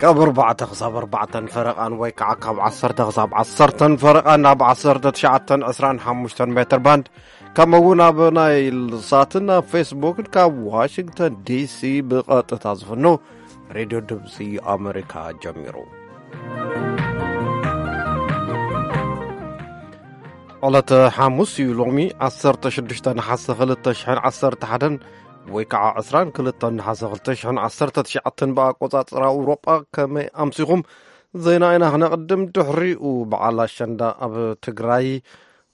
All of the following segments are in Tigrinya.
ካብ ኣርባዕተ ክሳብ ኣርባዕተን ፈረቓን ወይ ከዓ ካብ ዓሰርተ ክሳብ ዓሰርተን ፈረቓን ኣብ ዓሰርተ ትሽዓተን ዕስራን ሓሙሽተን ሜትር ባንድ፣ ከምኡ እውን ኣብ ናይል ሳትን ኣብ ፌስቡክን ካብ ዋሽንግተን ዲሲ ብቐጥታ ዝፍኖ ሬድዮ ድምፂ ኣሜሪካ ጀሚሩ። ዕለተ ሓሙስ እዩ። ሎሚ ዓሰርተ ሽዱሽተ ነሓሰ ክልተ ሽሕን ዓሰርተ ሓደን ወይ ከዓ ዕስራን ክልተን ነሓሰ ክልተ ሽሕን ዓሰርተ ትሽዓተን ብኣቆፃፅራ ኣውሮጳ። ከመይ ኣምሲኹም? ዜና ኢና ክነቕድም። ድሕሪኡ በዓል ኣሸንዳ ኣብ ትግራይ፣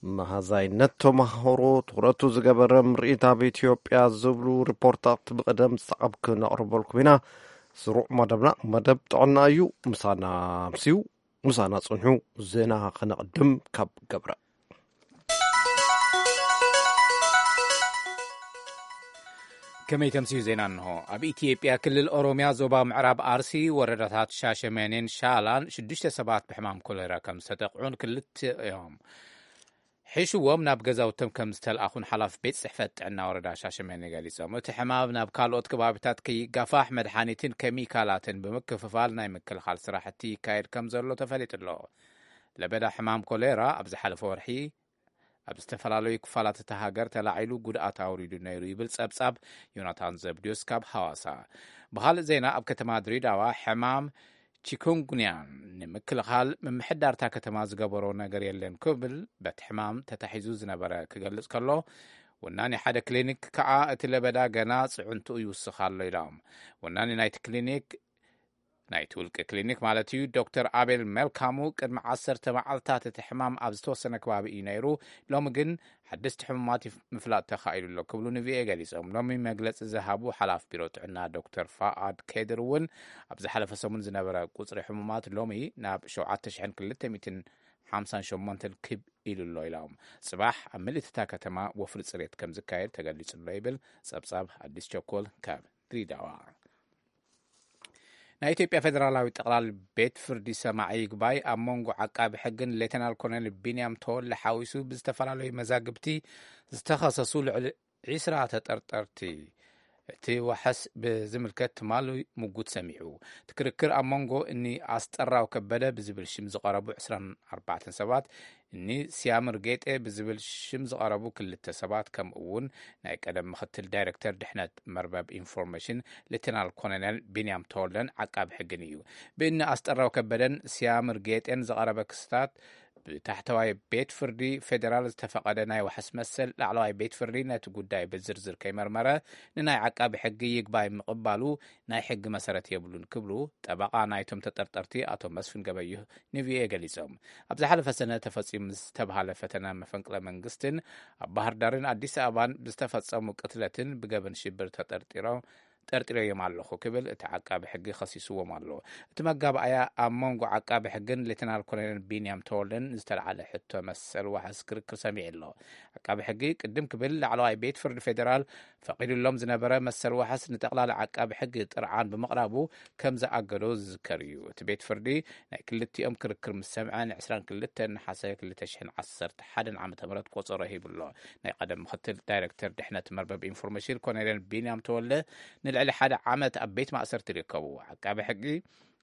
መሃዛይነት ተማሃሮ ትኹረቱ ዝገበረ ምርኢት ኣብ ኢትዮጵያ ዝብሉ ሪፖርታት ብቕደም ሰዓብ ክነቕርበልኩም ኢና። ስሩዕ መደብና መደብ ጥዕና እዩ። ምሳና ኣምስዩ፣ ምሳና ጽንሑ። ዜና ክነቕድም ካብ ገብረ። ከመይ ተምስዩ ዜና እንሆ። ኣብ ኢትዮጵያ ክልል ኦሮሚያ ዞባ ምዕራብ ኣርሲ ወረዳታት ሻሸመኔን ሻላን ሽዱሽተ ሰባት ብሕማም ኮሌራ ከም ዝተጠቕዑን ክልተ እዮም ሒሽዎም ናብ ገዛውቶም ከም ዝተልኣኹን ሓላፊ ቤት ጽሕፈት ጥዕና ወረዳ ሻሸመኔ ገሊጾም። እቲ ሕማም ናብ ካልኦት ከባቢታት ከይጋፋሕ መድሓኒትን ኬሚካላትን ብምክፍፋል ናይ ምክልኻል ስራሕቲ ይካየድ ከም ዘሎ ተፈሊጡ ኣሎ። ለበዳ ሕማም ኮሌራ ኣብ ዝሓለፈ ወርሒ ኣብ ዝተፈላለዩ ክፋላት እታ ሃገር ተላዒሉ ጉድኣት ኣውሪዱ ነይሩ ይብል ጸብጻብ ዮናታን ዘብድዮስ ካብ ሃዋሳ። ብኻልእ ዜና፣ ኣብ ከተማ ድሬዳዋ ሕማም ቺኩንጉንያን ንምክልኻል ምምሕዳር እታ ከተማ ዝገበሮ ነገር የለን ክብል በቲ ሕማም ተታሒዙ ዝነበረ ክገልጽ ከሎ፣ ወናኒ ሓደ ክሊኒክ ከኣ እቲ ለበዳ ገና ጽዕንትኡ ይውስኽ ኣሎ ኢሎም። ወናኒ ናይቲ ክሊኒክ ናይቲ ውልቂ ክሊኒክ ማለት እዩ፣ ዶክተር ኣቤል መልካሙ፣ ቅድሚ ዓሰርተ መዓልታት እቲ ሕማም ኣብ ዝተወሰነ ከባቢ እዩ ነይሩ፣ ሎሚ ግን ሓደስቲ ሕሙማት ይፍ-፣ ምፍላጥ ተኻኢሉ ኣሎ ክብሉ ንቪኦኤ ገሊጾም። ሎሚ መግለጺ ዝሃቡ ሓላፊ ቢሮ ጥዕና ዶክተር ፋኣድ ኬድር እውን ኣብ ዝሓለፈ ሰሙን ዝነበረ ቁጽሪ ሕሙማት ሎሚ ናብ ሸውዓተ ሽሕን ክልተ ሚእትን ሓምሳን ሸሞንተን ክብ ኢሉ ኣሎ ኢሎም። ጽባሕ ኣብ ምልእቲ እታ ከተማ ወፍሪ ጽሬት ከም ዝካየድ ተገሊጹ ኣሎ ይብል ጸብጻብ ኣዲስ ቸኮል ካብ ድሬዳዋ። ናይ ኢትዮጵያ ፌደራላዊ ጠቕላሊ ቤት ፍርዲ ሰማዒ ይግባይ ኣብ መንጎ ዓቃቢ ሕግን ሌተናል ኮሎኔል ቢንያም ተወለ ሓዊሱ ብዝተፈላለዩ መዛግብቲ ዝተኸሰሱ ልዕሊ ዒስራ ተጠርጠርቲ እቲ ዋሕስ ብዝምልከት ትማሊ ምጉት ሰሚዑ። እቲ ክርክር ኣብ መንጎ እኒ ኣስጠራው ከበደ ብዝብል ሽም ዝቐረቡ ዕስራን ኣርባዕተን ሰባት፣ እኒ ሲያምር ጌጤ ብዝብል ሽም ዝቐረቡ ክልተ ሰባት፣ ከምኡ እውን ናይ ቀደም ምክትል ዳይሬክተር ድሕነት መርበብ ኢንፎርሜሽን ሌተናል ኮሎኔል ቢንያም ተወልደን ዓቃቢ ሕግን እዩ። ብእኒ ኣስጠራው ከበደን ሲያምር ጌጤን ዝቐረበ ክስታት ብታሕተዋይ ቤት ፍርዲ ፌዴራል ዝተፈቐደ ናይ ዋሕስ መሰል፣ ላዕለዋይ ቤት ፍርዲ ነቲ ጉዳይ ብዝርዝር ከይመርመረ ንናይ ዓቃቢ ሕጊ ይግባይ ምቕባሉ ናይ ሕጊ መሰረት የብሉን ክብሉ ጠበቓ ናይቶም ተጠርጠርቲ ኣቶ መስፍን ገበየሁ ንቪኦኤ ገሊጾም። ኣብ ዝሓለፈ ሰነ ተፈጺሙ ዝተብሃለ ፈተነ መፈንቅለ መንግስትን ኣብ ባህር ዳርን ኣዲስ ኣበባን ብዝተፈጸሙ ቅትለትን ብገበን ሽብር ተጠርጢሮም ጠርጢረዮም ኣለኹ ክብል እቲ ዓቃቢ ሕጊ ከሲስዎም ኣሎ። እቲ መጋባእያ ኣብ መንጎ ዓቃቢ ሕግን ሌተናል ኮሎኔል ቢንያም ተወልደን ዝተለዓለ ሕቶ መሰል ዋሕስ ክርክር ሰሚዑ ኣሎ። ዓቃቢ ሕጊ ቅድም ክብል ላዕለዋይ ቤት ፍርዲ ፌዴራል ፈቒዱሎም ዝነበረ መሰል ዋሕስ ንጠቕላሊ ዓቃቢ ሕጊ ጥርዓን ብምቕራቡ ከም ዝኣገዶ ዝዝከር እዩ። እቲ ቤት ፍርዲ ናይ ክልቲኦም ክርክር ምስ ሰምዐ ንዕስራን ክልተን ነሓሰ ክልተ ሽሕን ዓሰርተ ሓደን ዓመተ ምህረት ቆጸሮ ሂቡ ኣሎ። ናይ ቀደም ምክትል ዳይሬክተር ድሕነት መርበብ ኢንፎርሜሽን ኮሎኔል ቢንያም ተወልደ ንልዕሊ ሓደ ዓመት ኣብ ቤት ማእሰርቲ ይርከቡ። ዓቃቢ ሕጊ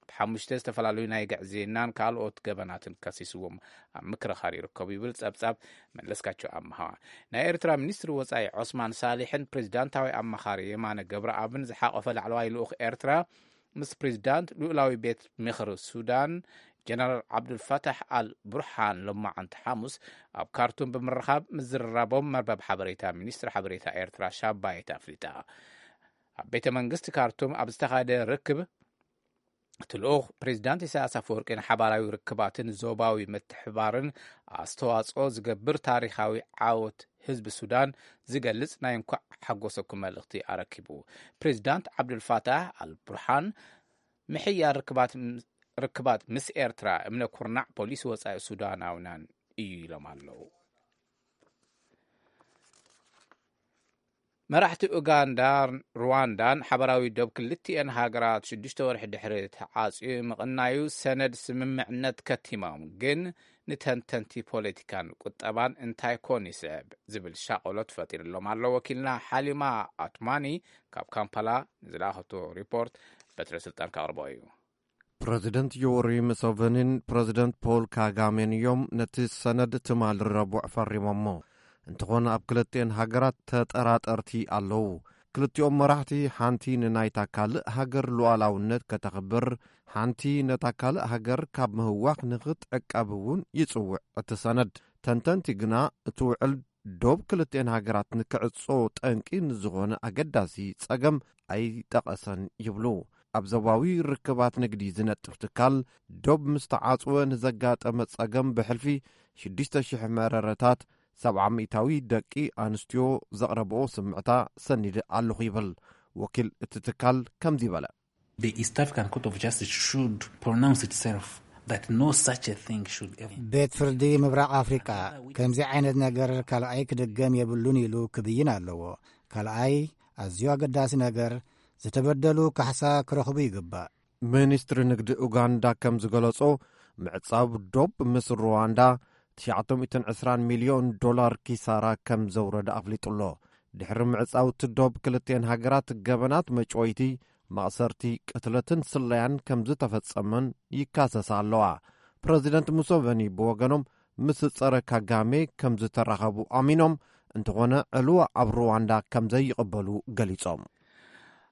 ብሓሙሽተ ዝተፈላለዩ ናይ ግዕዝይናን ካልኦት ገበናትን ከሲስዎም ኣብ ምክርኻር ይርከቡ ይብል ጸብጻብ መለስካቸው ኣምሃ። ናይ ኤርትራ ሚኒስትሪ ወጻኢ ዑስማን ሳሊሕን ፕሬዚዳንታዊ ኣማኻሪ የማነ ገብረኣብን ዝሓቆፈ ላዕለዋይ ልኡኽ ኤርትራ ምስ ፕሬዚዳንት ልኡላዊ ቤት ምኽሪ ሱዳን ጀነራል ዓብዱልፈታሕ ኣል ቡርሃን ሎማዓንቲ ሓሙስ ኣብ ካርቱም ብምርኻብ ምዝርራቦም መርበብ ሓበሬታ ሚኒስትሪ ሓበሬታ ኤርትራ ሻባየት ኣፍሊጣ። ኣብ ቤተ መንግስቲ ካርቱም ኣብ ዝተኻየደ ርክብ እቲ ልኡኽ ፕሬዚዳንት ኢሳያስ ኣፈወርቂ ንሓባራዊ ርክባትን ዞባዊ ምትሕባርን ኣስተዋጽኦ ዝገብር ታሪኻዊ ዓወት ህዝቢ ሱዳን ዝገልጽ ናይ እንኳዕ ሓጎሰኩም መልእኽቲ ኣረኪቡ። ፕሬዚዳንት ዓብዱልፋታሕ ኣልቡርሃን ምሕያል ርክባት ርክባት ምስ ኤርትራ እምነ ኩርናዕ ፖሊሲ ወጻኢ ሱዳናውያን እዩ ኢሎም ኣለዉ። መራሕቲ ኡጋንዳን ሩዋንዳን ሓበራዊ ዶብ ክልቲኤን ሃገራት ሽዱሽተ ወርሒ ድሕሪ ተዓጽዩ ምቕናዩ ሰነድ ስምምዕነት ከቲሞም፣ ግን ንተንተንቲ ፖለቲካን ቁጠባን እንታይ ኮን ይስዕብ ዝብል ሻቐሎት ፈጢርሎም ኣሎ። ወኪልና ሓሊማ ኣትማኒ ካብ ካምፓላ ንዝለኣኸቶ ሪፖርት በትረ ስልጣን ከቕርቦ እዩ። ፕረዚደንት ዮወሪ ሙሰቨኒን ፕረዚደንት ፖል ካጋሜን እዮም ነቲ ሰነድ ትማሊ ረቡዕ ፈሪሞሞ። እንተኾነ ኣብ ክልቲኤን ሃገራት ተጠራጠርቲ ኣለዉ። ክልቲኦም መራሕቲ ሓንቲ ንናይታ ካልእ ሃገር ሉዓላውነት ከተኽብር፣ ሓንቲ ነታ ካልእ ሃገር ካብ ምህዋኽ ንኽትዕቀብ እውን ይጽውዕ እቲ ሰነድ። ተንተንቲ ግና እቲ ውዕል ዶብ ክልቲኤን ሃገራት ንክዕጾ ጠንቂ ንዝኾነ ኣገዳሲ ጸገም ኣይጠቐሰን ይብሉ። ኣብ ዞባዊ ርክባት ንግዲ ዝነጥፍ ትካል፣ ዶብ ምስ ተዓጽወ ንዘጋጠመ ጸገም ብሕልፊ ሽዱሽተ ሽሕ መረረታት፣ ሰብዓ ሚእታዊ ደቂ ኣንስትዮ ዘቕረብኦ ስምዕታ ሰኒደ ኣለኹ ይብል። ወኪል እቲ ትካል ከምዚ በለ። The East African Court of Justice should pronounce itself that no such a thing should ever. ቤት ፍርዲ ምብራቕ ኣፍሪቃ ከምዚ ዓይነት ነገር ካልኣይ ክድገም የብሉን ኢሉ ክብይን ኣለዎ። ካልኣይ፣ ኣዝዩ ኣገዳሲ ነገር፣ ዝተበደሉ ካሕሳ ክረኽቡ ይግባእ። ሚኒስትሪ ንግዲ ኡጋንዳ ከም ዝገለጾ፣ ምዕጻው ዶብ ምስ ሩዋንዳ ትሽዓተ ሚእትን ዕስራን ሚልዮን ዶላር ኪሳራ ከም ዘውረደ ኣፍሊጡ ኣሎ። ድሕሪ ምዕጻው እቲ ዶብ ክልቲኤን ሃገራት ገበናት መጭወይቲ፣ ማእሰርቲ፣ ቅትለትን ስለያን ከም ዝተፈጸመን ይካሰሳ ኣለዋ። ፕረዚደንት ሙሰቨኒ ብወገኖም ምስ ጸረ ካጋሜ ከም ዝተራኸቡ ኣሚኖም፣ እንተኾነ ዕልዋ ኣብ ሩዋንዳ ከም ዘይቕበሉ ገሊጾም።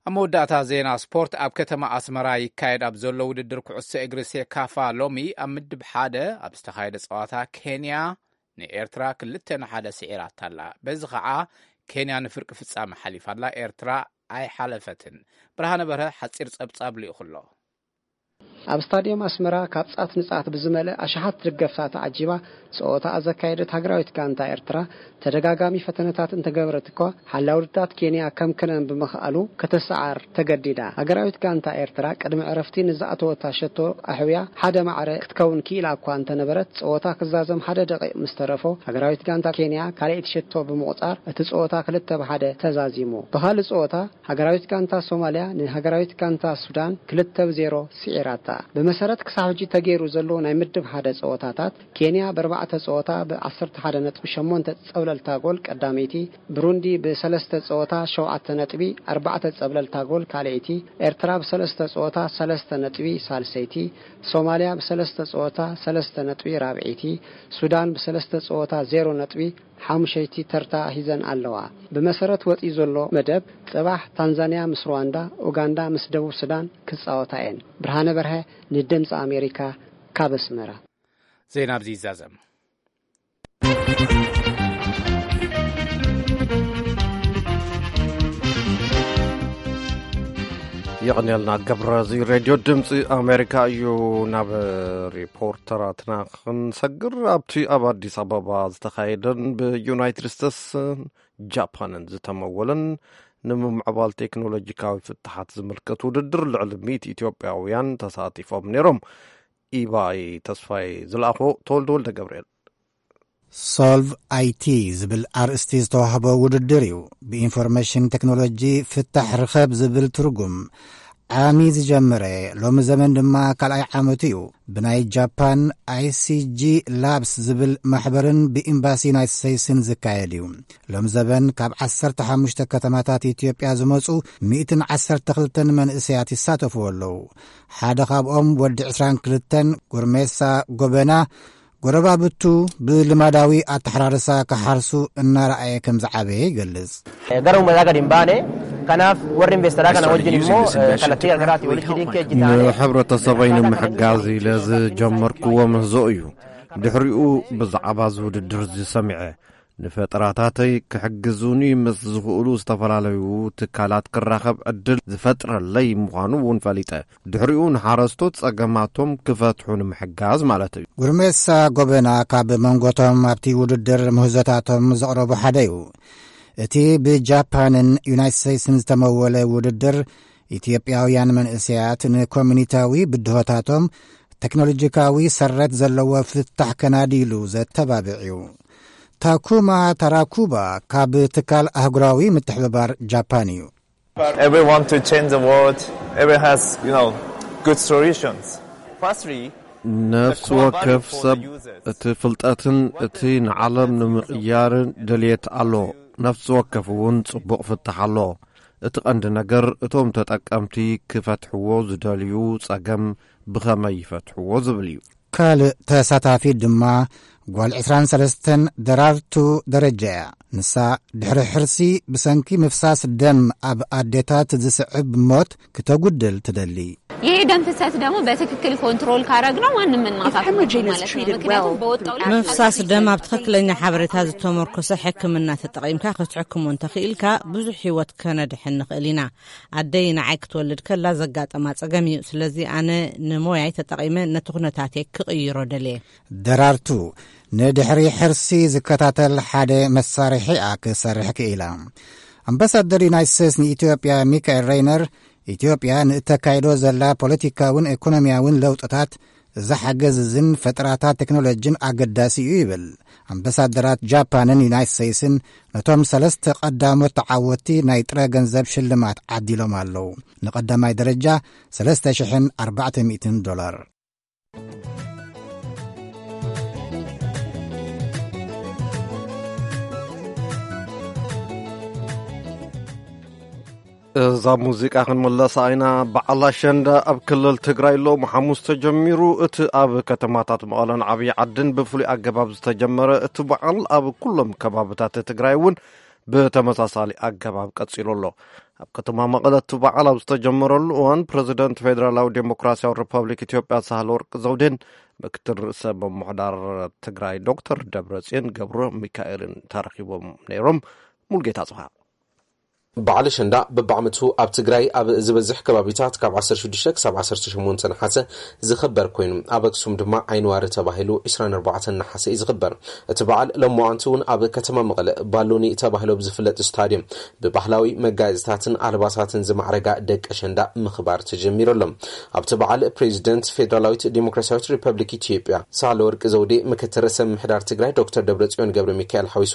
ኣብ መወዳእታ ዜና ስፖርት፣ ኣብ ከተማ ኣስመራ ይካየድ ኣብ ዘሎ ውድድር ኩዕሶ እግሪ ሴካፋ ሎሚ ኣብ ምድብ ሓደ ኣብ ዝተኻየደ ጸዋታ ኬንያ ንኤርትራ ክልተ ንሓደ ስዒራታ ኣላ። በዚ ኸዓ ኬንያ ንፍርቂ ፍጻመ ሓሊፋ ኣላ። ኤርትራ ኣይሓለፈትን። ብርሃነ በርሀ ሓጺር ጸብጻብ ልኢኹ ኣሎ። ኣብ ስታድየም ኣስመራ ካብ ጻት ንጻት ብዝመልእ ኣሽሓት ደገፍታ ተዓጂባ ጸወታ ዘካየደት ሃገራዊት ጋንታ ኤርትራ ተደጋጋሚ ፈተነታት እንተገበረት እኳ፣ ሓላው ውድታት ኬንያ ከምክነን ብምኽኣሉ ከተሰዓር ተገዲዳ። ሃገራዊት ጋንታ ኤርትራ ቅድሚ ዕረፍቲ ንዝኣተወታ ሸቶ ኣሕውያ ሓደ ማዕረ ክትከውን ክኢላ እኳ እንተነበረት፣ ጸወታ ክዛዘም ሓደ ደቂቕ ምስ ተረፎ፣ ሃገራዊት ጋንታ ኬንያ ካልኣይቲ ሸቶ ብምቑጻር እቲ ጸወታ ክልተ ብ ሓደ ተዛዚሙ። ብኻልእ ጸወታ፣ ሃገራዊት ጋንታ ሶማልያ ንሃገራዊት ጋንታ ሱዳን ክልተ ብ ዜሮ ስዒራታ። ብመሰረት ክሳብ ሕጂ ተገይሩ ዘሎ ናይ ምድብ ሓደ ጸወታታት፣ ኬንያ ብኣርባዕተ ጸወታ ብዓሰርተ ሓደ ነጥቢ ሸሞንተ ጸብለልታ ጎል ቀዳመይቲ፣ ብሩንዲ ብሰለስተ ጸወታ ሸውዓተ ነጥቢ ኣርባዕተ ጸብለልታ ጎል ካልኣይቲ፣ ኤርትራ ብሰለስተ ጸወታ ሰለስተ ነጥቢ ሳልሰይቲ፣ ሶማልያ ብሰለስተ ጸወታ ሰለስተ ነጥቢ ራብዐይቲ፣ ሱዳን ብሰለስተ ጸወታ ዜሮ ነጥቢ ሓሙሸይቲ ተርታ ሒዘን ኣለዋ። ብመሰረት ወጺኡ ዘሎ መደብ፣ ጽባሕ ታንዛንያ ምስ ሩዋንዳ፣ ኡጋንዳ ምስ ደቡብ ሱዳን ክጻወታ እየን። ብርሃነ በርሀ ንድምጺ ኣሜሪካ ካብ ኣስመራ። ዜና ኣብዚ ይዛዘም። የቐንየልና ገብረ። እዚ ሬድዮ ድምፂ ኣሜሪካ እዩ። ናብ ሪፖርተራትና ክንሰግር፣ ኣብቲ ኣብ ኣዲስ ኣበባ ዝተኻየደን ብዩናይትድ ስቴትስን ጃፓንን ዝተመወለን ንምምዕባል ቴክኖሎጂካዊ ፍትሓት ዝምልከት ውድድር ልዕሊ ሚእቲ ኢትዮጵያውያን ተሳቲፎም ነይሮም። ኢባይ ተስፋይ ዝለኣኾ ተወልደ ወልደ ገብርኤል። ሶልቭ ኣይቲ ዝብል ኣርእስቲ ዝተዋህቦ ውድድር እዩ። ብኢንፎርሜሽን ቴክኖሎጂ ፍታሕ ርኸብ ዝብል ትርጉም ዓሚ ዝጀመረ፣ ሎሚ ዘመን ድማ ካልኣይ ዓመቱ እዩ። ብናይ ጃፓን ኣይሲጂ ላብስ ዝብል ማሕበርን ብኤምባሲ ዩናይትድ ስቴትስን ዝካየድ እዩ። ሎም ዘበን ካብ ዓሰርተ ሓሙሽተ ከተማታት ኢትዮጵያ ዝመጹ ሚእትን ዓሰርተ ክልተን መንእሰያት ይሳተፍዎ ኣለዉ። ሓደ ካብኦም ወዲ ዕስራን ክልተን፣ ጉርሜሳ ጎበና፣ ጎረባብቱ ብልማዳዊ ኣተሓራርሳ ክሓርሱ እናረኣየ ከም ዝዓበየ ይገልጽ። Gara uummataa gadi hin baane. Kanaaf warri investeraa kana wajjin immoo kallattii gargaraatiin walitti hidhiin kee hojjetaan ንሕብረተሰበይ ንምሕጋዝ ኢለ ዝጀመርክዎ ምህዞ እዩ። ድሕሪኡ ብዛዕባ እዚ ውድድር እዚ ሰሚዐ፣ ንፈጠራታተይ ክሕግዙኒ ምስ ዝኽእሉ ዝተፈላለዩ ትካላት ክራኸብ ዕድል ዝፈጥረለይ ምዃኑ እውን ፈሊጠ። ድሕሪኡ ንሓረስቶት ጸገማቶም ክፈትሑ ንምሕጋዝ ማለት እዩ። ጉርሜሳ ጎበና ካብ መንጎቶም ኣብቲ ውድድር ምህዞታቶም ዘቕረቡ ሓደ እዩ። እቲ ብጃፓንን ዩናይትድ ስቴትስን ዝተመወለ ውድድር፣ ኢትዮጵያውያን መንእሰያት ንኮሚኒታዊ ብድሆታቶም ቴክኖሎጂካዊ ሰረት ዘለዎ ፍታሕ ከናድይሉ ዘተባብዕ እዩ። ታኩማ ታራኩባ ካብ ትካል ኣህጉራዊ ምትሕብባር ጃፓን እዩ። Everyone to change the world, everyone has, you know, good solutions. Firstly, ነፍሲ ወከፍ ሰብ እቲ ፍልጠትን እቲ ንዓለም ንምቕያርን ድልየት ኣሎ። ነፍሲ ወከፍ እውን ጽቡቕ ፍታሕ ኣሎ። እቲ ቀንዲ ነገር እቶም ተጠቀምቲ ክፈትሕዎ ዝደልዩ ጸገም ብኸመይ ይፈትሕዎ ዝብል እዩ። ካልእ ተሳታፊ ድማ ጓል ዕስራን ሰለስተን ደራርቱ ደረጃ እያ። ንሳ ድሕሪ ሕርሲ ብሰንኪ ምፍሳስ ደም ኣብ ኣዴታት ዝስዕብ ሞት ክተጉድል ትደሊ። ይሄ ደም ፍሰት ደግሞ በትክክል ኮንትሮል ካረግነው ማንም እናሳት ማለት ነው። ምክንያቱም በወጣው ምፍሳስ ደም ኣብ ትኽክለኛ ሓበሬታ ዝተመርኮሰ ሕክምና ተጠቒምካ ክትሕክሞ እንተኽኢልካ ብዙሕ ህይወት ከነድሕን ንኽእል ኢና። ኣደይ ንዓይ ክትወልድ ከላ ዘጋጠማ ጸገም እዩ። ስለዚ ኣነ ንሞያይ ተጠቒመ ነቲ ኩነታተይ ክቕይሮ ደልየ። ደራርቱ ንድሕሪ ሕርሲ ዝከታተል ሓደ መሳርሒ እያ ክሰርሕ ክኢላ። ኣምባሳደር ዩናይትድ ስቴትስ ንኢትዮጵያ ሚካኤል ሬይነር፣ ኢትዮጵያ ንእተካይዶ ዘላ ፖለቲካውን ኢኮኖሚያውን ለውጥታት ዝሓገዝዝን ፈጠራታት ቴክኖሎጂን ኣገዳሲ እዩ ይብል። ኣምባሳደራት ጃፓንን ዩናይትድ ስቴትስን ነቶም ሰለስተ ቀዳሞት ተዓወትቲ ናይ ጥረ ገንዘብ ሽልማት ዓዲሎም ኣለዉ። ንቐዳማይ ደረጃ ሰለስተ ሽሕን ኣርባዕተ ሚእትን ዶላር። እዛ ሙዚቃ ክንምለሳ ኢና። በዓል ኣሸንዳ ኣብ ክልል ትግራይ ሎሚ ሓሙስ ተጀሚሩ። እቲ ኣብ ከተማታት መቐለን ዓብዪ ዓድን ብፍሉይ ኣገባብ ዝተጀመረ እቲ በዓል ኣብ ኩሎም ከባብታት ትግራይ እውን ብተመሳሳሊ ኣገባብ ቀጺሉ ኣሎ። ኣብ ከተማ መቐለ እቲ በዓል ኣብ ዝተጀመረሉ እዋን ፕረዚደንት ፌደራላዊ ዴሞክራሲያዊ ሪፐብሊክ ኢትዮጵያ ሳህለወርቅ ዘውዴን ምክትል ርእሰ ምምሕዳር ትግራይ ዶክተር ደብረጽዮን ገብረ ሚካኤልን ተረኺቦም ነይሮም። ሙልጌታ ጽፋ በዓል ኣሸንዳ በብዓመቱ ኣብ ትግራይ ኣብ ዝበዝሕ ከባቢታት ካብ ዓሰርተ ሽዱሽተ ክሳብ ዓሰርተ ሸሞንተ ነሓሰ ዝኽበር ኮይኑ፣ ኣብ ኣክሱም ድማ ዓይንዋሪ ተባሂሉ ዕስራን ኣርባዕተን ነሓሰ እዩ ዝኽበር። እቲ በዓል ሎማዓንቲ እውን ኣብ ከተማ መቐለ ባሎኒ ተባሂሉ ኣብ ዝፍለጥ ስታድዮም ብባህላዊ መጋየፅታትን ኣልባሳትን ዝማዕረጋ ደቂ ኣሸንዳ ምኽባር ተጀሚሩ ኣሎ። ኣብቲ በዓል ፕሬዚደንት ፌዴራላዊት ዴሞክራሲያዊት ሪፐብሊክ ኢትዮጵያ ሳህለወርቅ ዘውዴ፣ ምክትል ርእሰ ምምሕዳር ትግራይ ዶክተር ደብረጽዮን ገብረ ሚካኤል ሓዊሱ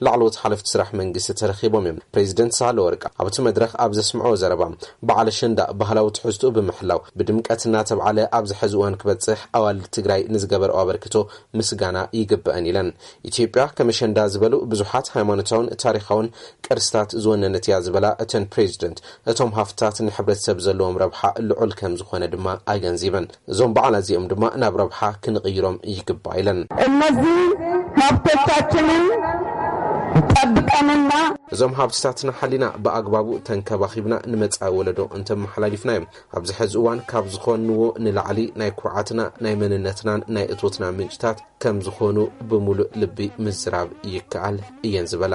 ላዕለዎት ሓለፍቲ ስራሕ መንግስቲ ተረኺቦም እዮም። ፕሬዚደንት ሳህለወርቅ ኣብቲ መድረኽ ኣብ ዘስምዐዎ ዘረባ፣ በዓል ኣሸንዳ ባህላዊ ትሕዝትኡ ብምሕላው ብድምቀት እናተብዓለ ኣብዚ ሕዚ እዋን ክበፅሕ ኣዋልድ ትግራይ ንዝገበረኦ ኣበርክቶ ምስጋና ይግበአን ኢለን። ኢትዮጵያ ከም ኣሸንዳ ዝበሉ ብዙሓት ሃይማኖታውን ታሪኻውን ቅርስታት ዝወነነት እያ ዝበላ እተን ፕሬዚደንት፣ እቶም ሃፍትታት ንሕብረተሰብ ዘለዎም ረብሓ ልዑል ከም ዝኾነ ድማ ኣገንዚበን። እዞም በዓላት እዚኦም ድማ ናብ ረብሓ ክንቕይሮም ይግባእ ኢለን። እነዚህ ሀብቶቻችንን ጠብቀንና እዞም ሃብትታትና ሓሊና ብኣግባቡ ተንከባኺብና ንመጻኢ ወለዶ እንተመሓላሊፍናዮም፣ ኣብዚ ሕዚ እዋን ካብ ዝኾንዎ ንላዕሊ ናይ ኩርዓትና፣ ናይ መንነትናን ናይ እቶትና ምንጭታት ከም ዝኾኑ ብምሉእ ልቢ ምዝራብ ይከኣል እየን ዝበላ።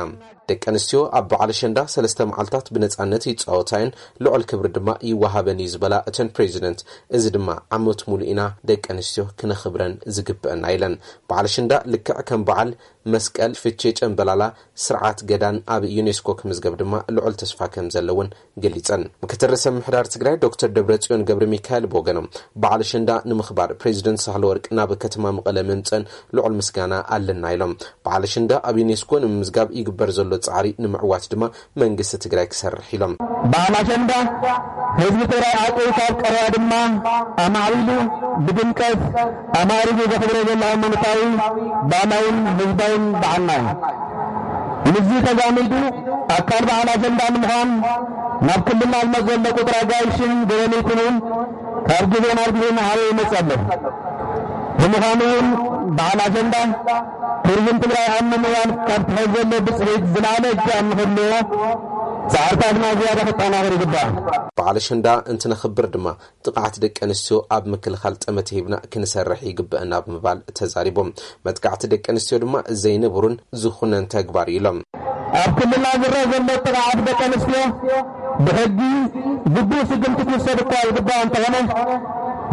ደቂ ኣንስትዮ ኣብ በዓል ኣሸንዳ ሰለስተ መዓልታት ብነጻነት ይጻወታ እየን፣ ልዑል ክብሪ ድማ ይወሃበን እዩ ዝበላ እተን ፕሬዚደንት፣ እዚ ድማ ዓመት ሙሉእ ኢና ደቂ ኣንስትዮ ክነኽብረን ዝግበአና ኢለን። በዓል ኣሸንዳ ልክዕ ከም በዓል መስቀል፣ ፍቼ፣ ጨምበላላ፣ ስርዓት ገዳን ኣብ ዩኔስኮ ክምዝገብ ድማ ልዑል ተስፋ ከም ዘለውን ገሊጸን። ምክትል ርእሰ ምምሕዳር ትግራይ ዶክተር ደብረጽዮን ገብረ ሚካኤል ብወገኖም፣ በዓል ኣሸንዳ ንምኽባር ፕሬዚደንት ሳህለወርቅ ናብ ከተማ መቐለ ምምጸን ልዑል ምስጋና ኣለና ኢሎም። በዓል ኣሸንዳ ኣብ ዩኔስኮ ንምምዝጋብ ይግበር ዘሎ ጻዕሪ ንምዕዋት ድማ መንግስቲ ትግራይ ክሰርሕ ኢሎም። በዓል ኣሸንዳ ህዝቢ ትግራይ ዓቂቡ ካብ ቀረባ ድማ ኣማዕቢሉ ብድምቀት ኣማዕሪጉ ዘኽብሮ ዘሎ ሃይማኖታዊ፣ ባህላውን ህዝባውን በዓልና እዩ። ምስዚ ተዛሚዱ ኣካል በዓል ኣሸንዳ ንምዃን ናብ ክልልና ዝመጽእ ዘሎ ቁጥር ኣጋይሽን ገበነይትን እውን ካብ ግዜ ናብ ግዜ እናዓበየ ይመጽእ ኣሎ። ብምዃኑ እውን በዓል ኣሸንዳ ቱሪዝም ትግራይ ኣብ ምምዕባል ካብ ትሕዝ ዘሎ ብፅሒት ዝለዓለ እጃም ንክህልዎ ፃዕርታትና ዝያዳ ክጠናኸር ይግባእ። በዓል ኣሸንዳ እንትነኽብር ድማ ጥቕዓት ደቂ ኣንስትዮ ኣብ ምክልኻል ጠመተ ሂብና ክንሰርሕ ይግበአና ብምባል ተዛሪቦም። መጥቃዕቲ ደቂ ኣንስትዮ ድማ ዘይንቡርን ዝኹነን ተግባር እዩ ኢሎም። ኣብ ክልልና ዝረአ ዘሎ ጥቕዓት ደቂ ኣንስትዮ ብሕጊ ግቡእ ስጉምቲ ክውሰድ እኳ ይግባእ እንተኾነ፣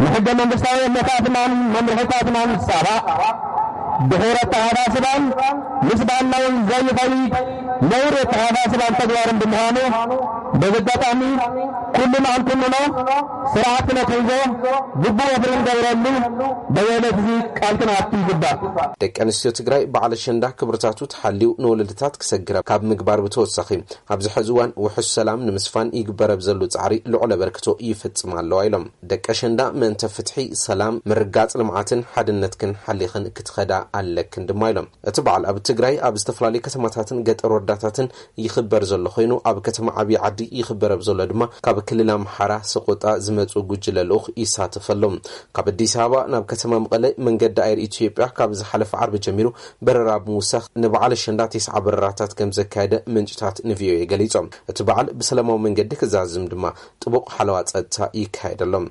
ንሕገ መንግስታዊ እምነታትናን መምርሕታትናን ዝጻባእ ድሑር ኣተሓሳስባን ምስ ባህልና እውን ዘይኸይድ ነውሪ ኣተሓሳስባን ተግባርን ብምዃኑ፣ በዚ ኣጋጣሚ ኩልና ክንኩንኖ፣ ስርዓት ክነትሕዞ፣ ግቡእ ወፍሪ ክንገብረሉ በዚ ዕለት እዚ ቃል ክንኣቱ ይግባእ። ደቂ ኣንስትዮ ትግራይ በዓል ኣሸንዳ ክብርታቱ ተሓልዩ ንወለድታት ክሰግራ ካብ ምግባር ብተወሳኺ፣ ኣብዚ ሕዚ እዋን ውሑስ ሰላም ንምስፋን ይግበር ኣብ ዘሎ ጻዕሪ ልዑል ኣበርክቶ ይፍጽማ ኣለዋ ኢሎም። ደቂ ኣሸንዳ ምእንተ ፍትሒ፣ ሰላም፣ ምርግጋጽ ልምዓትን ሓድነትክን ሓሊኽን ክትኸዳ ኣለክን ድማ ኢሎም። እቲ በዓል ኣብ ትግራይ ኣብ ዝተፈላለዩ ከተማታትን ገጠር ወረዳታትን ይኽበር ዘሎ ኮይኑ፣ ኣብ ከተማ ዓብዪ ዓዲ ይኽበር ኣብ ዘሎ ድማ ካብ ክልል ኣምሓራ ሰቆጣ ዝመጹ ጉጅለ ልኡኽ ይሳተፍ ኣሎ። ካብ ኣዲስ ኣበባ ናብ ከተማ መቐለ መንገዲ ኣየር ኢትዮጵያ ካብ ዝሓለፈ ዓርቢ ጀሚሩ በረራ ብምውሳኽ ንበዓል ኣሸንዳ ተስዓ በረራታት ከም ዘካየደ ምንጭታት ንቪኦኤ ገሊጾም። እቲ በዓል ብሰላማዊ መንገዲ ክዛዝም ድማ ጥቡቕ ሓለዋ ጸጥታ ይካየደሎም።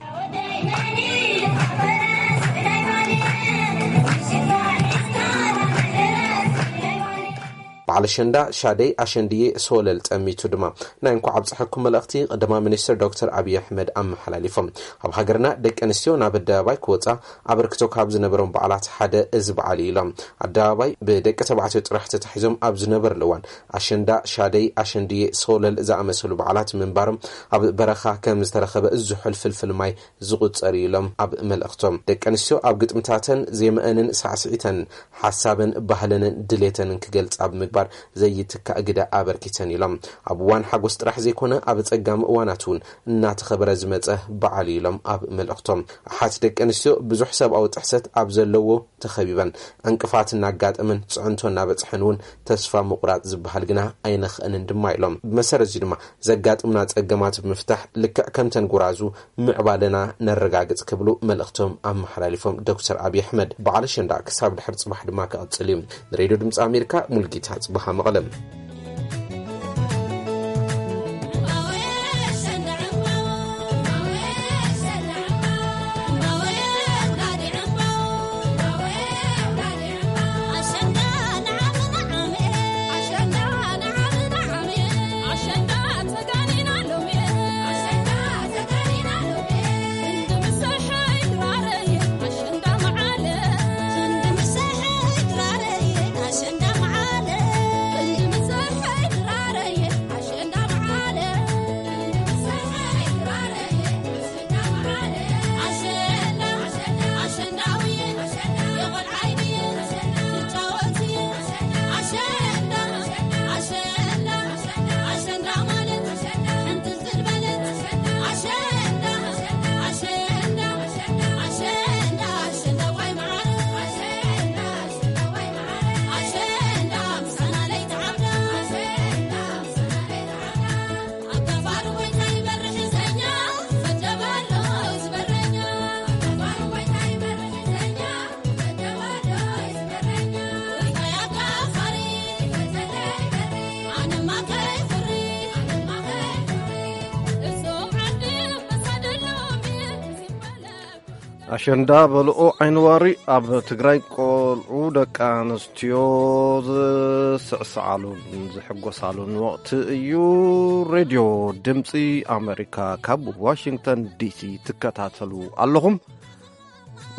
በዓል ኣሸንዳ ሻደይ ኣሸንድዬ ሶለል ጠሚቱ ድማ ናይ እንኳዕ ኣብፀሐኩም መልእኽቲ ቀዳማይ ሚኒስትር ዶክተር ኣብይ ኣሕመድ ኣመሓላሊፎም። ኣብ ሃገርና ደቂ ኣንስትዮ ናብ ኣደባባይ ክወፃ ኣበርክቶ ካብ ዝነበሮም በዓላት ሓደ እዚ በዓል እዩ ኢሎም። ኣደባባይ ብደቂ ተባዕትዮ ጥራሕ ተታሒዞም ኣብ ዝነበርሉ እዋን ኣሸንዳ፣ ሻደይ፣ ኣሸንድዬ፣ ሶለል ዝኣመሰሉ በዓላት ምንባሮም ኣብ በረኻ ከም ዝተረኸበ ዝሑል ፍልፍል ማይ ዝቑጸር እዩ ኢሎም ኣብ መልእኽቶም። ደቂ ኣንስትዮ ኣብ ግጥምታተን ዜመአንን ሳዕስዒተን ሓሳበን ባህለንን ድሌተንን ክገልጻ ብምግባር ዘይትካእ ግደ ኣበርኪተን ኢሎም። ኣብ እዋን ሓጎስ ጥራሕ ዘይኮነ ኣብ ጸጋም እዋናት እውን እናተኸበረ ዝመጸ በዓል እዩ ኢሎም ኣብ መልእኽቶም። ኣሓት ደቂ ኣንስትዮ ብዙሕ ሰብኣዊ ጥሕሰት ኣብ ዘለዎ ተኸቢበን ዕንቅፋት እናጋጠመን ፅዕንቶ እናበፅሐን እውን ተስፋ ምቑራፅ ዝበሃል ግና ኣይነኽእንን ድማ ኢሎም። ብመሰረት እዚ ድማ ዘጋጥምና ፀገማት ብምፍታሕ ልክዕ ከምተን ጉራዙ ምዕባለና ነረጋግፅ ክብሉ መልእኽቶም ኣመሓላሊፎም። ዶክተር ኣብይ ኣሕመድ በዓል ኣሸንዳ ክሳብ ድሕር ፅባሕ ድማ ክቕፅል እዩ። ንሬድዮ ድምፂ ኣሜሪካ ሙልጌታ ፅባሃ መቐለም። ኣሸንዳ በልኦ ዓይኒ ዋሪ። ኣብ ትግራይ ቆልዑ ደቂ ኣንስትዮ ዝስዕስዓሉን ዝሕጎሳሉን ወቕቲ እዩ። ሬድዮ ድምፂ ኣሜሪካ ካብ ዋሽንግተን ዲሲ ትከታተሉ ኣለኹም።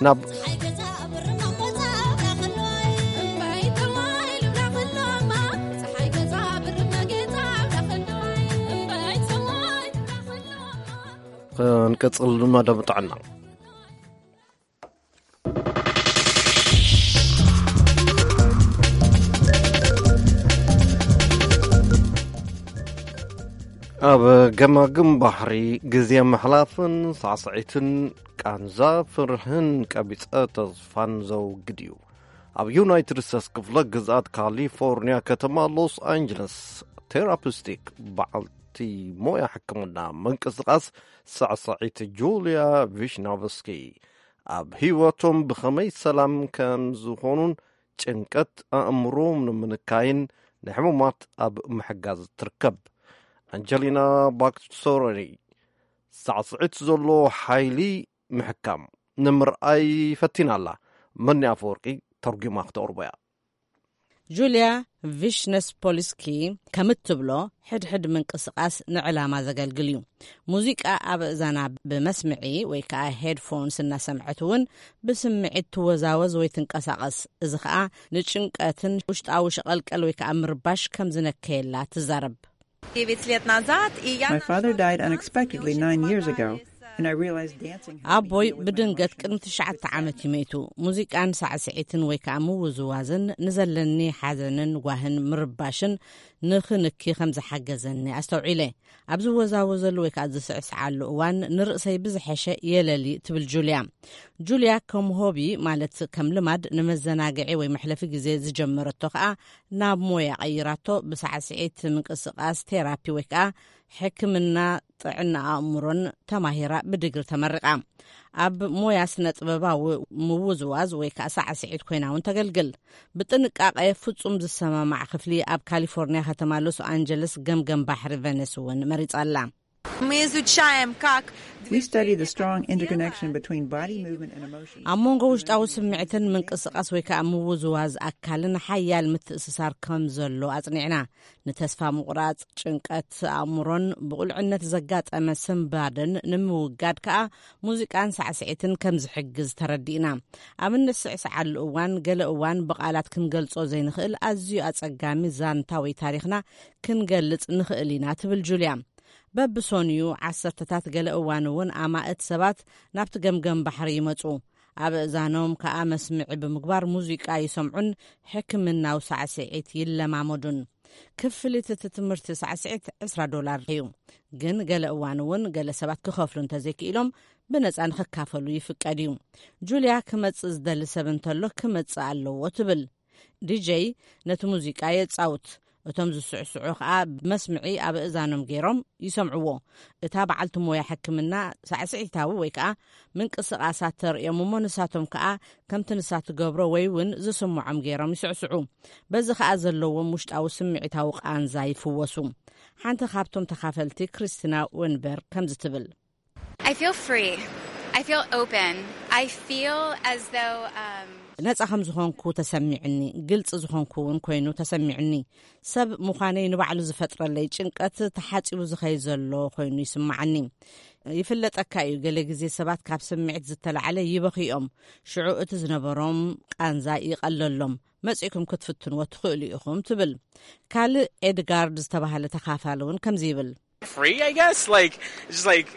ናብ ክንቅጽል መደብ ጥዕና። ኣብ ገማግም ባሕሪ ግዜ ምሕላፍን ሳዕስዒትን ቃንዛ ፍርህን ቀቢጸ ተስፋን ዘውግድ እዩ። ኣብ ዩናይትድ ስቴትስ ክፍለ ግዝኣት ካሊፎርኒያ ከተማ ሎስ ኣንጀለስ ቴራፒስቲክ በዓልቲ ሞያ ሕክምና ምንቅስቓስ ሳዕስዒት ጁልያ ቪሽናቭስኪ ኣብ ህይወቶም ብኸመይ ሰላም ከም ዝኾኑን ጭንቀት ኣእምሮም ንምንካይን ንሕሙማት ኣብ ምሕጋዝ ትርከብ። ኣንጀሊና ባክሶረኒ ሳዕስዒት ዘሎ ሓይሊ ምሕካም ንምርኣይ ፈቲና ኣላ። መኒ ኣፈወርቂ ተርጒማ ክተቕርቦ እያ። ጁልያ ቪሽነስፖልስኪ ከም እትብሎ፣ ሕድሕድ ምንቅስቓስ ንዕላማ ዘገልግል እዩ። ሙዚቃ ኣብ እዛና ብመስምዒ ወይ ከዓ ሄድፎንስ እናሰምዐት እውን ብስምዒት ትወዛወዝ ወይ ትንቀሳቐስ። እዚ ከዓ ንጭንቀትን ውሽጣዊ ሸቐልቀል ወይ ከዓ ምርባሽ ከም ዝነከየላ ትዛረብ። My father died unexpectedly nine years ago, and I realized dancing helped me ኣቦይ deal with my ብድንገት emotions. ቅድሚ ትሽዓተ ዓመት እዩ መይቱ። ሙዚቃን ሳዕስዒትን ወይ ከዓ ምውዝዋዝን ንዘለኒ ሓዘንን ጓህን ምርባሽን ንኽንኪ ከም ዝሓገዘኒ ኣስተውዒለ። ኣብ ዝወዛወዘሉ ወይ ከዓ ዝስዕስዓሉ እዋን ንርእሰይ ብዝሐሸ የለሊ ትብል ጁልያ። ጁልያ ከም ሆቢ፣ ማለት ከም ልማድ ንመዘናግዒ ወይ መሕለፊ ግዜ ዝጀመረቶ ከኣ ናብ ሞያ ቀይራቶ። ብሳዕስዒት ምንቅስቓስ፣ ቴራፒ ወይ ከኣ ሕክምና ጥዕና ኣእምሮን ተማሂራ ብድግሪ ተመሪቓ። ኣብ ሞያ ስነ ጥበባዊ ምውዝዋዝ ወይ ከኣ ሳዕስዒት ኮይና እውን ተገልግል። ብጥንቃቐ ፍጹም ዝሰማማዕ ክፍሊ ኣብ ካሊፎርኒያ ከተማ ሎስ ኣንጀለስ ገምገም ባሕሪ ቨነስ እውን መሪጻ ኣላ። Мы изучаем, как We study the strong interconnection between body movement and emotion. ኣብ መንጎ ውሽጣዊ ስምዒትን ምንቅስቓስ ወይ ከዓ ምውዝዋዝ ኣካልን ሓያል ምትእስሳር ከም ዘሎ ኣጽኒዕና። ንተስፋ ምቑራጽ፣ ጭንቀት ኣእምሮን ብቑልዕነት ዘጋጠመ ስንባደን ንምውጋድ ከዓ ሙዚቃን ሳዕስዒትን ከም ዝሕግዝ ተረዲእና። ኣብ እንስዕስዓሉ እዋን፣ ገለ እዋን ብቓላት ክንገልጾ ዘይንኽእል ኣዝዩ ኣጸጋሚ ዛንታ ወይ ታሪኽና ክንገልጽ ንኽእል ኢና፣ ትብል ጁልያ። በብሶንዩ ዓሰርተታት፣ ገለ እዋን እውን ኣማእት ሰባት ናብቲ ገምገም ባሕሪ ይመጹ። ኣብ እዛኖም ከኣ መስምዒ ብምግባር ሙዚቃ ይሰምዑን ሕክምናዊ ሳዕስዒት ይለማመዱን። ክፍሊት እቲ ትምህርቲ ሳዕስዒት ዕስራ ዶላር እዩ። ግን ገለ እዋን እውን ገለ ሰባት ክኸፍሉ እንተዘይክኢሎም ብነጻ ንኽካፈሉ ይፍቀድ እዩ። ጁልያ ክመጽእ ዝደሊ ሰብ እንተሎ ክመጽእ ኣለዎ ትብል። ዲጀይ ነቲ ሙዚቃ የጻውት። እቶም ዝስዕስዑ ከኣ ብመስምዒ ኣብ እእዛኖም ገይሮም ይሰምዕዎ። እታ በዓልቲ ሞያ ሕክምና ሳዕስዒታዊ ወይ ከኣ ምንቅስቓሳት ተርእዮም እሞ ንሳቶም ከኣ ከምቲ ንሳ ትገብሮ ወይ እውን ዝስምዖም ገይሮም ይስዕስዑ። በዚ ከኣ ዘለዎም ውሽጣዊ ስምዒታዊ ቃንዛ ይፍወሱ። ሓንቲ ካብቶም ተኻፈልቲ ክሪስቲና ወንበርግ ከምዚ ትብል። I feel free. I feel open. I feel as though um, ነጻ ከም ዝኾንኩ ተሰሚዕኒ፣ ግልጺ ዝኾንኩ እውን ኮይኑ ተሰሚዕኒ። ሰብ ምዃነይ ንባዕሉ ዝፈጥረለይ ጭንቀት ተሓጺቡ ዝኸይ ዘሎ ኮይኑ ይስምዓኒ። ይፍለጠካ እዩ፣ ገለ ግዜ ሰባት ካብ ስምዒት ዝተላዕለ ይበኽዮም። ሽዑ እቲ ዝነበሮም ቃንዛ ይቐለሎም። መጺእኩም ክትፍትንዎ ትኽእሉ ኢኹም፣ ትብል። ካልእ ኤድጋርድ ዝተባህለ ተኻፋሊ እውን ከምዚ ይብል። Free, I guess. Like, it's just like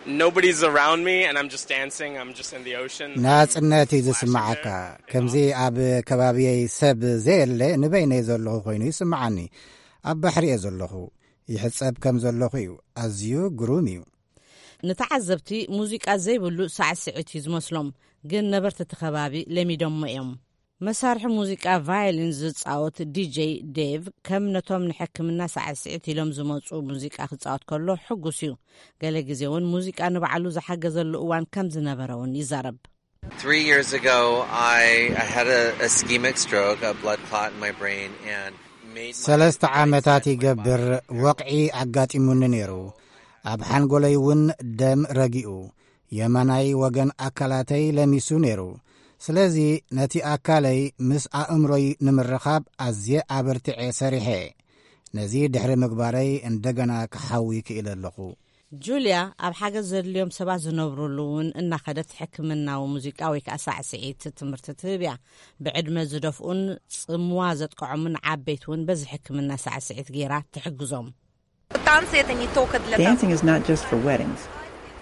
nobody's around me and I'm just dancing. I'm just in the ocean. ናጽነት እዩ ዝስምዓካ። ከምዚ ኣብ ከባቢየይ ሰብ ዘየለ፣ ንበይነይ ዘለኹ ኮይኑ ይስምዓኒ። ኣብ ባሕሪ እየ ዘለኹ። ይሕጸብ ከም ዘለኹ እዩ። ኣዝዩ ግሩም እዩ። ንተዓዘብቲ ሙዚቃ ዘይብሉ ሳዕስዒት እዩ ዝመስሎም፣ ግን ነበርቲ እቲ ከባቢ ለሚዶሞ እዮም። መሳርሒ ሙዚቃ ቫዮሊን ዝጻወት ዲጀይ ዴቭ፣ ከም ነቶም ንሕክምና ሳዕስዒት ኢሎም ዝመጹ ሙዚቃ ክጻወት ከሎ ሕጉስ እዩ። ገለ ግዜ እውን ሙዚቃ ንባዕሉ ዝሓገዘሉ እዋን ከም ዝነበረ እውን ይዛረብ። Three years ago, I, I had a ischemic stroke, a blood clot in my brain, and made my ሰለስተ ዓመታት ይገብር፣ ወቕዒ ኣጋጢሙኒ ነይሩ። ኣብ ሓንጎለይ እውን ደም ረጊኡ፣ የማናይ ወገን ኣካላተይ ለሚሱ ነይሩ። ስለዚ ነቲ ኣካለይ ምስ ኣእምሮይ ንምርኻብ ኣዝየ ኣበርቲዐ ሰሪሐ። ነዚ ድሕሪ ምግባረይ እንደገና ክሓዊ ክኢለ ኣለኹ። ጁልያ ኣብ ሓገዝ ዘድልዮም ሰባት ዝነብሩሉ እውን እናኸደት ሕክምናዊ ሙዚቃ ወይ ከዓ ሳዕስዒት ትምህርቲ ትህብ እያ። ብዕድመ ዝደፍኡን ጽምዋ ዘጥቅዖምን ዓበይቲ እውን በዚ ሕክምና ሳዕስዒት ገይራ ትሕግዞም። Танцы это не только для того. Dancing is not just for weddings.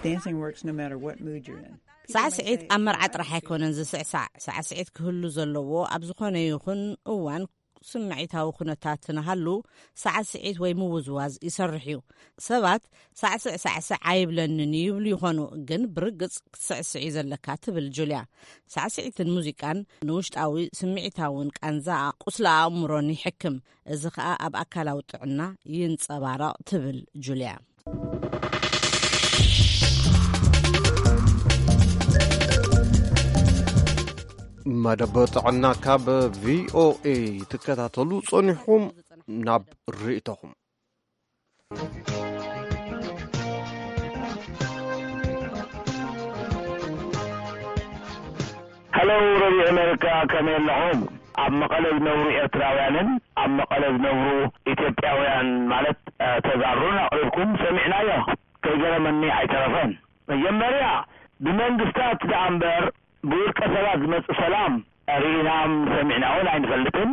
Dancing works no matter what mood you're in. ሳዕስዒት ኣብ መርዓ ጥራሕ ኣይኮነን ዝስዕሳዕ። ሳዕስዒት ክህሉ ዘለዎ ኣብ ዝኾነ ይኹን እዋን ስምዒታዊ ኩነታት ንሃሉ ሳዕስዒት ወይ ምውዝዋዝ ይሰርሕ እዩ። ሰባት ሳዕስዕ ሳዕስዕ ኣይብለንን ይብሉ ይኾኑ፣ ግን ብርግጽ ክትስዕስዕ እዩ ዘለካ፣ ትብል ጁልያ። ሳዕስዒትን ሙዚቃን ንውሽጣዊ ስምዒታውን ቃንዛ ቁስሊ ኣእምሮን ይሕክም። እዚ ኸኣ ኣብ ኣካላዊ ጥዕና ይንጸባረቕ፣ ትብል ጁልያ። መደብ ጥዕና ካብ ቪኦኤ ትከታተሉ ጸኒሕኩም ናብ ርእይቶኹም። ሄሎ ረድዮ ኣሜሪካ፣ ከመይ ኣለኹም? ኣብ መቐለ ዝነብሩ ኤርትራውያንን ኣብ መቐለ ዝነብሩ ኢትዮጵያውያን ማለት ተጋሩን ኣቕሪብኩም ሰሚዕናዮ። ከይገረመኒ ኣይተረፈን። መጀመርያ ብመንግስታት ደኣ እምበር ብውልቀ ሰባት ዝመጽእ ሰላም ርኢናን ሰሚዕናን ኣይንፈልጥን።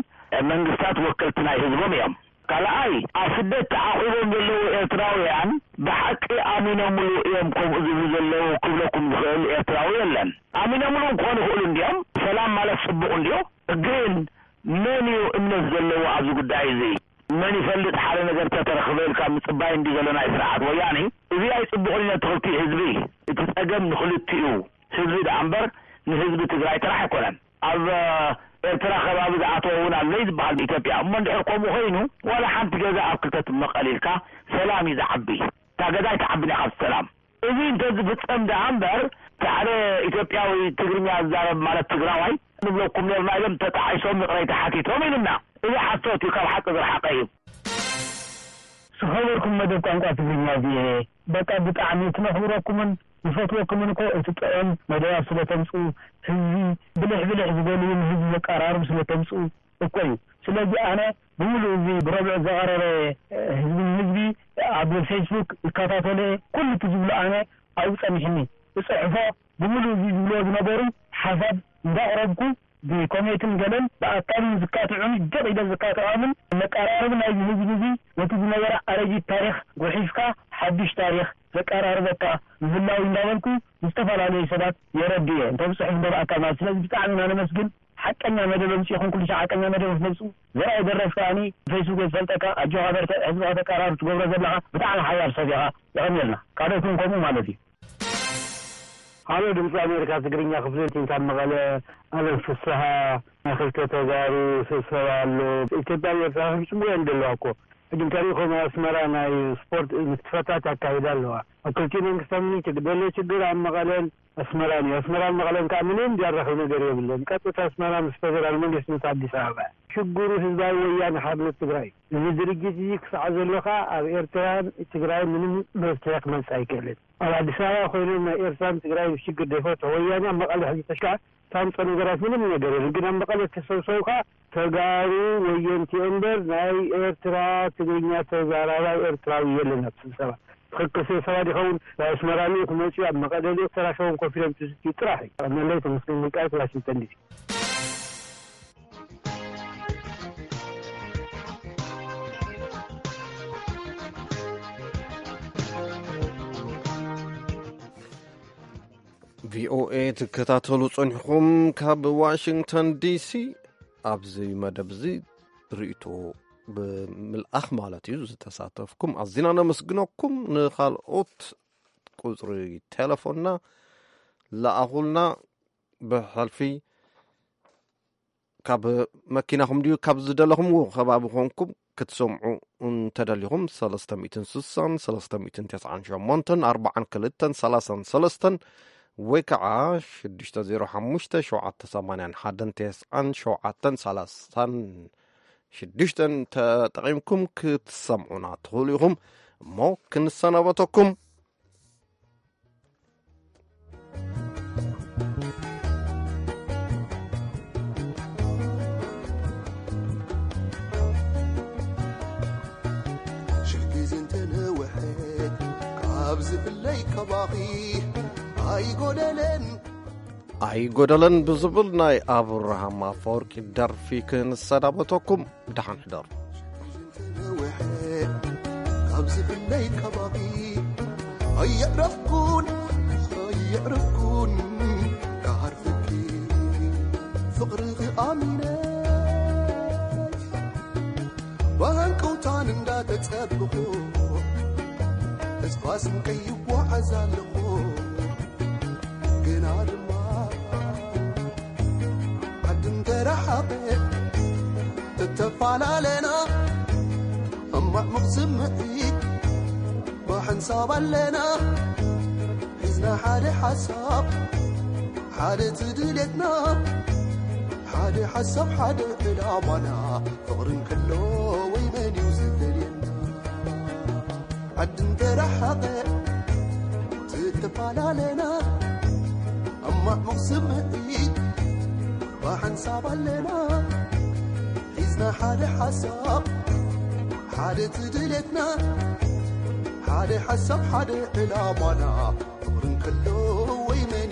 መንግስታት ወከልቲ ናይ ህዝቦም እዮም። ካልኣይ፣ ኣብ ስደት ተዓቑቦም ዘለዉ ኤርትራውያን ብሓቂ ኣሚኖምሉ እዮም ከምኡ ዝብሉ ዘለዉ ክብለኩም ዝኽእል ኤርትራዊ የለን። ኣሚኖምሉ ክኾኑ ይኽእሉ እንድዮም። ሰላም ማለት ጽቡቕ እንድዩ። ግን መን እዩ እምነት ዘለዎ ኣብዚ ጉዳይ እዚ? መን ይፈልጥ፣ ሓደ ነገር ተተረኽበ ኢልካ ምጽባይ እንዲ ዘሎ ናይ ስርዓት ወያኔ። እዚ ኣይጽቡቕን እዩ ነቲ ክልቲኡ ህዝቢ። እቲ ጸገም ንኽልቲኡ ህዝቢ ደኣ እምበር ንህዝቢ ትግራይ ጥራሕ ኣይኮነን። ኣብ ኤርትራ ከባቢ ዝኣተወ እውን ኣሎ እዩ ዝበሃል ብኢትዮጵያ። እሞ እንድሕር ከምኡ ኮይኑ ዋላ ሓንቲ ገዛ ኣብ ክልተ ትመቐል ኢልካ ሰላም እዩ ዝዓቢ። እታ ገዛ ኣይትዓብን እያ ካብ ሰላም። እዚ እንተዝፍጸም ደኣ እምበር እቲ ሓደ ኢትዮጵያዊ ትግርኛ ዝዛረብ ማለት ትግራዋይ ንብለኩም ነርና ኢሎም ተጣዒሶም ይቕሬታ ሓቲቶም ኢሉና። እዚ ሓሶት እዩ፣ ካብ ሓቂ ዝረሓቐ እዩ። ዝኸበርኩም መደብ ቋንቋ ትግርኛ ቪኦኤ፣ በቃ ብጣዕሚ እቲ ነኽብረኩምን ንፈትወኩምን እኮ እቲ ጥዑም መደባት ስለ ተምጽኡ፣ ህዝቢ ብልሕ ብልሕ ዝበልውን ህዝቢ ዘቀራርቡ ስለ ተምጽኡ እኮ እዩ። ስለዚ ኣነ ብምሉእ እዚ ብረብዑ ዘቐረበ ህዝቢ ንህዝቢ ኣብ ፌስቡክ ይከታተሎ እየ። ኩሉ እቲ ዝብሎ ኣነ ኣብኡ ጸኒሕኒ እጽሕፎ። ብምሉእ እዚ ዝብልዎ ዝነበሩ ሓሳብ እንዳቕረብኩ ብኮሜትን ገለን ብኣካልን ዝካትዑን ደቕ ኢለ ዝካትዖምን መቀራረቢ ናይዚ ህዝቢ እዚ ነቲ ዝነበረ ኣረጊት ታሪኽ ጉሒፍካ ሓድሽ ታሪኽ ዘቀራርበካ ምህላው እንዳበልኩ ዝተፈላለዩ ሰባት የረድእ እየ። እንተ ብጽሑፍ እንደበኣካ ማለት። ስለዚ ብጣዕሚ ኢና ነመስግን። ሓቀኛ መደብ ኣምጺእኹም ኩሉ ሻዕ ሓቀኛ መደብ ክትመጽኡ ዘርኣይ ደረፍ ከኣኒ ፌስቡክ ዝፈልጠካ ኣጆኻ በርትዕ ህዝብኻ ተቀራርብ ትገብሮ ዘለኻ ብጣዕሚ ሓያል ሰብ ኢኻ። የቐንየልና ካልኦት እውን ከምኡ ማለት እዩ። ሃሎ ድምፂ ኣሜሪካ ትግርኛ ክፍሊ ካብ መቐለ ኣለም ፍስሃ ናይ ክልተ ተጋሩ ስብሰባ ኣሎ። ኢትዮጵያ ኤርትራ ፍጹም እየን ዘለዋ እኮ ሕጂ እንተሪእኹም ኣስመራ ናይ ስፖርት ንጥፈታት ኣካይዳ ኣለዋ። ኣብ ክልቲኡ መንግስታት ምንጭ ዘሎ ችግር ኣብ መቐለን ኣስመራን እዩ። ኣስመራን መቐለን ከዓ ምንም ዘራኽብ ነገር የብለን። ቀጥታ ኣስመራ ምስ ፌደራል መንግስቲ ምስ ኣዲስ ኣበባ ሽግሩ ህዝባዊ ወያነ ሓርነት ትግራይ እዩ። እዚ ድርጅት እዚ ክሳዕ ዘሎ ከዓ ኣብ ኤርትራን ትግራይ ምንም መፍትሒ ክመፅእ ኣይክእልን። ኣብ ኣዲስ ኣበባ ኮይኖም ናይ ኤርትራን ትግራይ ሽግር ዘይፈትሑ ወያነ ኣብ መቐለ ሕዚ ተሽካ ታምፀ ነገራት ምንም ነገር የለን። ግን ኣብ መቐለ ተሰብሰብካ ተጋሩ ወየንቲ እምበር ናይ ኤርትራ ትግርኛ ተዛራባይ ኤርትራዊ የለን ኣብ ስብሰባ። ትኽክል ስብሰባ ዲኸውን ናብ ኣስመራ ልኡ ክመፅኡ ኣብ መቐለ ልኡ ተራኸቦም ኮፍ ኢሎም ትዝትዩ ጥራሕ እዩ። ቀነለይ ተመስገን ወልቃይት ዋሽንግተን ዲሲ። ቪኦኤ ትከታተሉ ጸኒሕኩም ካብ ዋሽንግተን ዲሲ። ኣብዚ መደብ እዚ ርእይቶ ብምልኣኽ ማለት እዩ ዝተሳተፍኩም ኣዚና ነመስግነኩም። ንኻልኦት ቁጽሪ ቴሌፎንና ለኣኹልና። ብሕልፊ ካብ መኪናኹም ድዩ ካብ ዝደለኹምዎ ከባቢ ኮንኩም ክትሰምዑ እንተደሊኹም ሰለስተ ሚእትን ስሳን ሰለስተ ሚእትን ተስዓን ሸሞንተን ኣርባዓን ክልተን ሰላሳን ሰለስተን ወይ ከዓ ሽዱሽተ ዜሮ ሓሙሽተ ሸውዓተ ሰማንያን ሓደን ተስዓን ሸውዓተን ሰላሳን ሽዱሽተን ተጠቒምኩም ክትሰምዑና ትኽእሉ ኢኹም። እሞ ክንሰናበተኩም። ሽሕ ግዜ እንተነውሐት ካብ ዝፍለይ ካባኺ ኣይጎደለን። ኣይጎደለን ብዝብል ናይ ኣብርሃም ኣፈወርቂ ደርፊ ክንሰናበተኩም። ብደሓን ሕደሩ። ካብ ዝፍለይ ካባኺ ኣየዕረፍኩን ኣየዕረፍኩን ክሃርፈኪ ፍቕርኺ ኣሚነ ብሃንቀውታን እንዳተጸበኹ ተስፋ ስንቀይ ይጓዓዝ ኣለኹ። ግና ድማ ዓዲ እንተረሓቐ ተተፈላለና ሕማቕ ስምዒት ብሓንሳብ ኣለና ሒዝና ሓደ ሓሳብ ሓደ ትድልየትና ሓደ ሓሳብ ሓደ ዕላማና ፍቕሪ እንከሎ ወይ መን እዩ ዝፈልየና ዓዲ እንተረሓቐ ትተፈላለና ሕማቕ ስምዒት ብሓንሳብ ኣለና ሒዝና ሓደ ሓሳብ ሓደ ትድልየትና ሓደ ሓሳብ ሓደ ዕላማና ፍቕሪ እንከሎ ወይ መን